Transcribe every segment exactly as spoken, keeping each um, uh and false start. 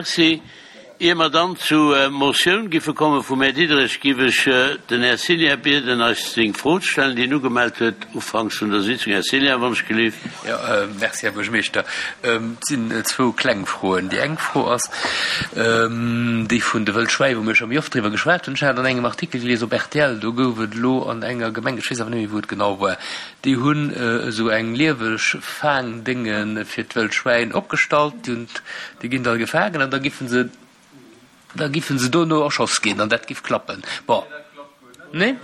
Merci. Ier mer dann zu Motioun giffe komme vum Här Diderich, giff ech den Här Cillien bieden, eis seng Fro ze stellen, déi en ugemellt huet ufanks vun der Sitzung. Här Cillien, wann ech gelift. Jo, merci, Här Buergermeeschter. Et sinn zwou kleng Froen. Déi eng Fro ass déi vun de Wëllschwäi, wou mir scho méi oft driwwer geschwat hunn. Ech hat an engem Artikel gelies op rtl, do gouf et elo an enger Gemeng, ech weess awer net méi, wou et genau war, déi hunn esou eng lieweg Faangdénge fir d'Wëllschwäin opgestallt. Déi hunn, déi ginn da gefaangen an da giffen se, da giffen se dono erschoss ginn an dat giff klappen. Bon. Nee?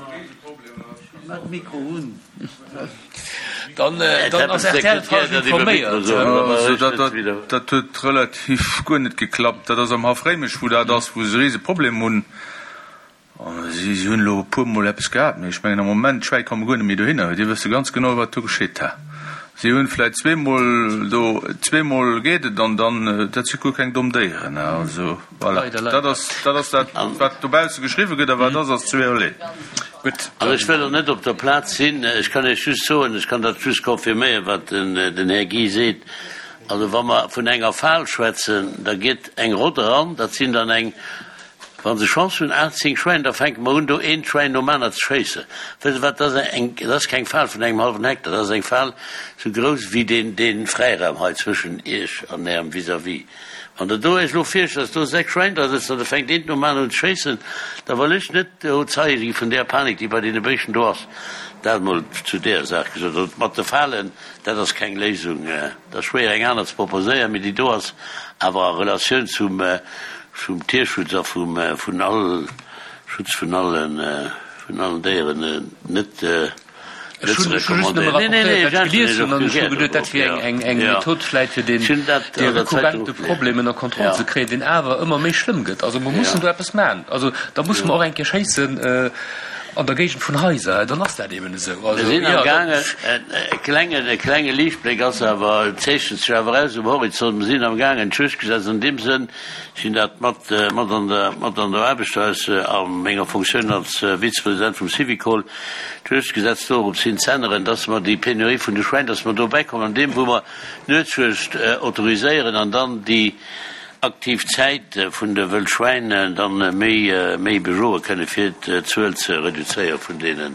Dann, dann ass rtl falsch informéiert. Also dat, dat, dat huet relativ guer net geklappt. Dat ass am Haff Réimech, wou dat ass, wou se e Riseproblem hunn. Si hunn elo e puermol eppes gehat, mee ech mengen am Moment, d'Schwäi komme guer net méi dohinner. Déi wësse ganz genau, wat do geschitt. Si hunn vläicht zweemol do, zweemol geet et an dann, dat si guer keng domm Déieren. Also voilà, dat ass dat, ass dat wat dobausse geschriwwe gëtt a wat ass, ass zweeërlee. Gutt. Also ech wëll och net op der Plaz sinn. Ech kann Iech just soen, ech kann dat just confirméieren, wat den Här Guy seet. Also wa mer vun enger Fal schwätzen, da geet eng Rott eran, dat sinn dann eng, Wa se Chance hunn, aacht, zéng Schwäin, da fänke mer un, do eent Schwäin nom anert ze schéissen. Wësst Der wat, dat ass eng, dat ass keng Fal vun engem hallwen Hektar, dat ass eng Fal esou grouss wéi deen, dee Fräiraum hei zwëschen Iech an Ärem Vis-à-vis. Wann Der do Iech elo virstellt, dass do sechs Schwäin dra sëtzen an da fänkt eent nom aneren un ze schéissen, da wëll ech net do Zeie gi vun där Panik, déi bei deene Béischten do ass. Dat emol zu där Saach gesot. Also mat de Falen, dat ass keng Léisung. Et ass schwéier eng aner ze proposéieren, mee déi do ass awer a Relatioun zum, Vum Tierschutz a vum vun all Schutz vun allen vun allen Déieren net net ze recommandéieren. Nee, nee, nee, ech äntweren Iech och gär dorop, jo. Eng eng Method vläit fir deen dee rekurrente Problem ënner Kontroll ze kréien, deen awer ëmmer méi schlëmm gëtt. Also mer mussen do eppes maachen. Also da musse mer och eng Kéier schéissen an der Géigend vun Haiser, dann ass dat eeben esou. Mir sinn am gaangen, e klengen e klenge Liichtbléck ass awer, zeechent sech awer aus um Horizont, mer sinn am gaangen d'Juegdgesetz an deem Sënn, Ech hunn dat mat mat an der mat an der Aarbecht aus a menger Fonctioun als Vizepresident vum Syvicol, d'Juegdgesetz dorops hin z'änneren, dass mer déi Penurie vun de Schwäin, dass mer do bäikommen an deem wou mer d'Nuetsjuegd autoriséieren an dann déi aktiv Zäit vun de Wëllschwäin dann méi méi bejoe kënne fir d'Zuel ze reduzéiere vun deene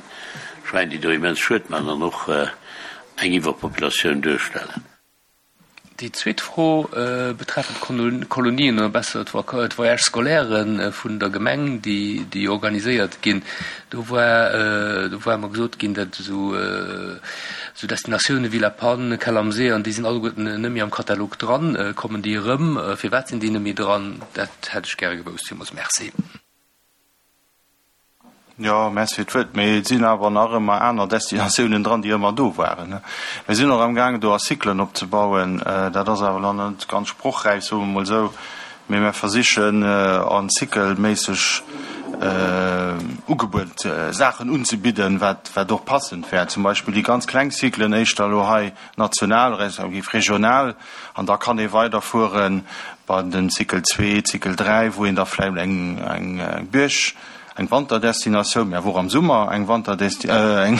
Schwäin, déi do immens Schued maachen an och eng Iwwerpopulatioun duerstellen. Déi zweet Fro betreffend d'Kolonien oder besser d'Voyages scolaires vun der Gemeng, déi organiséiert ginn. Do war do war mer gesot ginn, datt esou Destinatioune wéi La Panne, Kell am See an déi sinn alleguerten net méi am Katalog dran. Kommen déi erëm? Firwat sinn déi net méi dran? Dat hätt ech gäre gewousst. Villmools Merci. Jo, Merci fir d'Wuert. Mee et sinn awer nach ëmmer aner Destinatiounen dran, déi ëmmer do waren. Mir sinn och amgaangen, do Artikelen opzebauen. Dat ass awer nach net ganz sprochräif, soe mer emol esou. Mee mir versichen, artikelméisseg Ugebuet, Saachen unzebidden, wat, wat och passend wär. Zum Beispill déi ganz kleng Cyclen éischter elo hei national respektiv regional. An da kann ee weiderfuere bei den Cycle zwee, Cycle dräi, wou een da vläicht eng, eng Buerg, Eng Wanterdestinatioun, mä awer och am Summer eng Wanterdesti-, eng,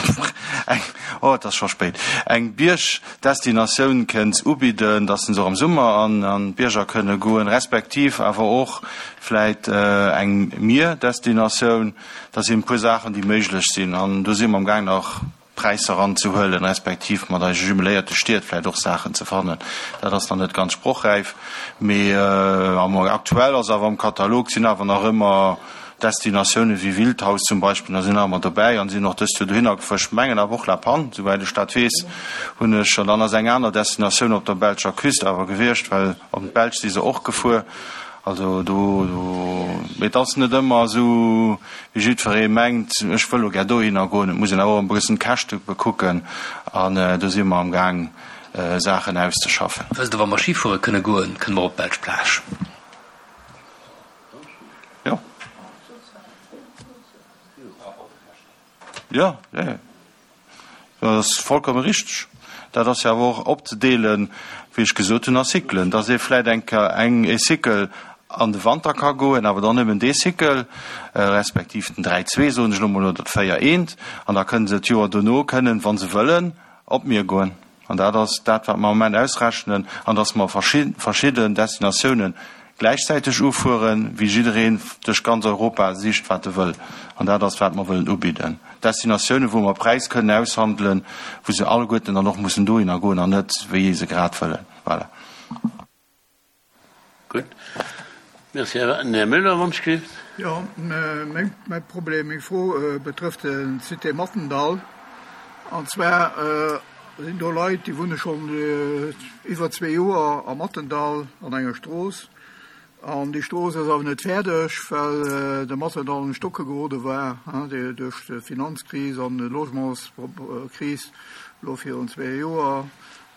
eng, oh, et ass scho spéit, eng Biergdestinatioun kënnt ubidden, dass se och am Summer an, an d'Bierger kënne goen, respektiv awer och vläit eng Mierdestinatioun. Dat sinn e puer Saachen, déi méiglech sinn an do si mer amgaang nach Präisser eranzehuelen, respektiv mat eise jumeléierte Stied vläicht och Saachen ze fannen. Dat ass nach net ganz sprochräif, mee am aktuell ass awer am Katalog sinn awer nach ëmmer Destinatioune wéi Wildhaus zum Beispill, da sinn nach ëmmer dobäi an sinn och dëst Joer dohinner gefuer. Ech mengen awer och La Panne, souwäit ech dat weess, hunn ech. An dann ass eng aner Destinatioun op der belscher Küst awer gewiescht, well op d'Belsch si se och gefuer. Also do, do, mee et ass net ëmmer esou, wéi jiddweree mengt, ech wëll elo gär dohinner goen. Et muss een awer och e bëssen d'Käschte bekucken an do si mer amgaang Saachen auszeschaffen. Wësst Der, wa mer Schifuere kënne goen, kënne mer op d'belsch Plage. Jo. Jo, jo, jo. Dat ass vollkomme richteg. Dat ass jo awer och opzedeelen, wéi ech gesot hunn, a Cyclen, dass ee vläicht eng Kéier eng ee Cycle an de Wanter ka goen, awer dann nëmmen dee Cycle, respektiv den dräi zwee, soen ech elo mol, oder d'véier eent, an da kënne se d'Joer dono kënnen, wa se wëllen, op d'Mier goen. An dat ass dat, wat mer am Moment ausrechnen, an dass mer verschidden Destinatiounen gläichzäiteg ufueren, wéi jiddereen duerch ganz Europa sicht, wat e wëll. An dat ass, wat mer wëllen ubidden. Destinatiounen, wou mer Präis kënnen aushandelen, wou se alleguerten dann och mussen dohinner goen an net, wéi se grad wëllen. Voilà. Gutt. Merci. Här Müller, wann ech gelift. Jo, mäi Problem, meng Fro betrëfft de Cité Mattendall. An zwar sinn do Leit, déi wunne schonn iwwer zwee Joer am Mattendall an enger Strooss. An déi Strooss ass awer net fäerdeg, well de Mattendall un d'Stocke gerode war duerch d'Finanzkris an d'Logementskris elo virun zwee Joer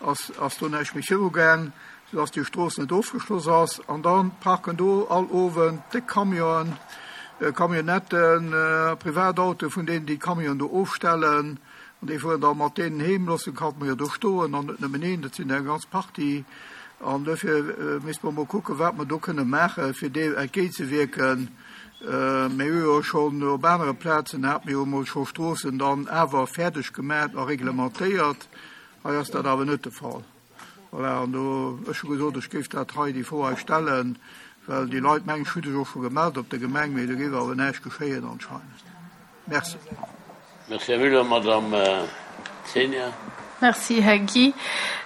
ass do näischt méi virugaang. Soudass déi Strooss net ofgeschloss ass. An da parken do all Owend déck Camionen, Camionnetten, Privatautoe vun deenen, déi d'Camionen do ofstellen. An déi fueren da mat deenen heem, loossen d'Camione do stoen. An net nëmmen een, dat sinn der eng ganz Partie. An dofir misste mer emol kucken, wat mer do kënne maachen, fir deem entgéintzewierken. Mir hu jo schonn op anere Plazen, hate mir jo emol scho Stroossen dann awer fäerdeg gemaach a reglementéiert. Hei ass dat awer net de Fall. Voilà, an do, ech hu gesot, ech géif dat hei, déi Fro hei stellen, well déi Leit, mengen ech, hu sech och scho gemellt op der Gemeng, mee do géif awer näischt geschéien anscheinend. Merci. Merci, Här Müller. Madame Zenia. Merci, Här Guy.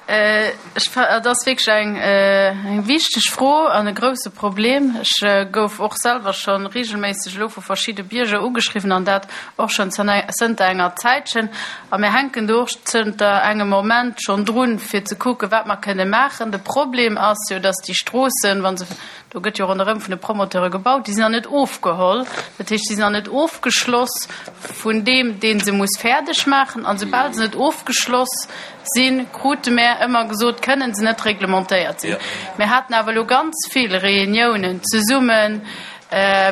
Ech, et ass wierklech eng, eng wichteg Fro an e grouse Problem. Ech gouf och selwer scho regelméisseg elo vu verschidde Bierger ugeschriwwen an dat och schonn zënter enger Zäitchen. A mir hänken do och zënter engem Moment schonn drun, fir ze kucken, wat mer kënne maachen. De Problem ass jo, dass déi Stroossen, wa se, do gëtt jo ronderëm vun de Promoteure gebaut, déi sinn nach net ofgeholl. Dat heescht, déi sinn nach net ofgeschloss vun deem, dee se muss fäerdeg maachen. An soubal se net ofgeschloss sinn, krute mär ëmmer gesot, kënnen se net reglementéiert sinn. Mir haten awer elo ganz vill Reuniounen zesumme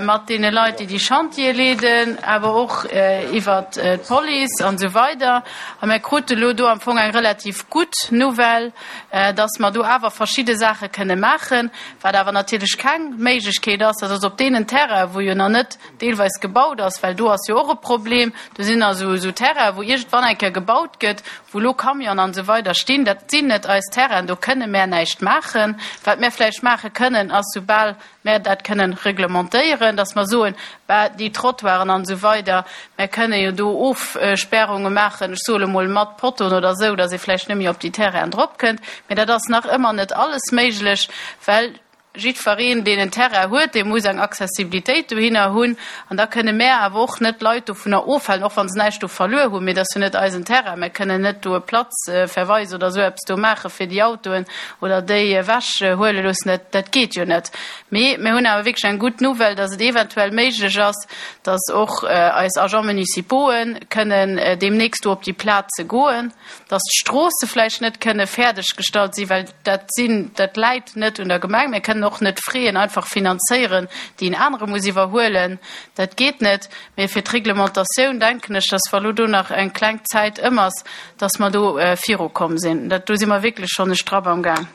mat deene Leit, déi déi Chantiere leeden, awer och iwwert d'Police an esou weider. A mir krute elo do am Fong eng relativ gutt Nouvelle, dass mer do awer verschidde Saache kënne maachen, wat awer natierlech keng Méiglechkeet ass, dat ass op deenen Terrainen, wou jo nach net deelweis gebaut ass, well do ass jo och e Problem, do sinn nach esou Terrainen, wou iergendwann eng Kéier gebaut gëtt, wou elo Camionen an esou weider stinn. Dat sinn net eis Terrainen, do kënne mär näischt maachen. Wat mär vläicht maache kënnen, ass, soubal mär dat kënnen reglementéieren, dass mer soen, bah, déi Trottoiren an esou weider, mär kënne jo do Ofsperrunge maachen, ech soe lo mol mat Pottoen oder esou, dass ee vläicht net méi op déi Terrainen drop kënnt. Mä dat ass nach ëmmer net alles méiglech, well jiddwereen, deen en Terrain huet, dee muss eng Accessibilitéit dohinner hunn. An da kënne mär awer och net d'Leit dovunner ofhalen, och wa se näischt do verluer hunn, mee dat ass jo net eisen Terrain, mär kënnen net do e Platzverweis oder esou eppes do maache fir déi Autoen oder déi ewechhuele loossen. Dat, dat geet jo net. Mee mir hunn awer wierklech eng gutt Nouvelle, dass et eventuell méiglech ass, dass och eis Agents municipauxen kënnen deemnächst do op déi Plaze goen, dass d'Stroosse vläicht net kënne fäerdeggestallt sinn, well dat sinn, dat läit net un der Gemeng. Mir kënnen och net Fräen einfach finanzéieren, déi en anere muss iwwerhuelen. Dat geet net. Mee fir d'Reglementatioun denken ech, dass wa lo do nach eng kleng Zäit ëm ass, dass mer do virukomm sinn. Dat, do si mer wierklech schonn e Strapp am Gaang.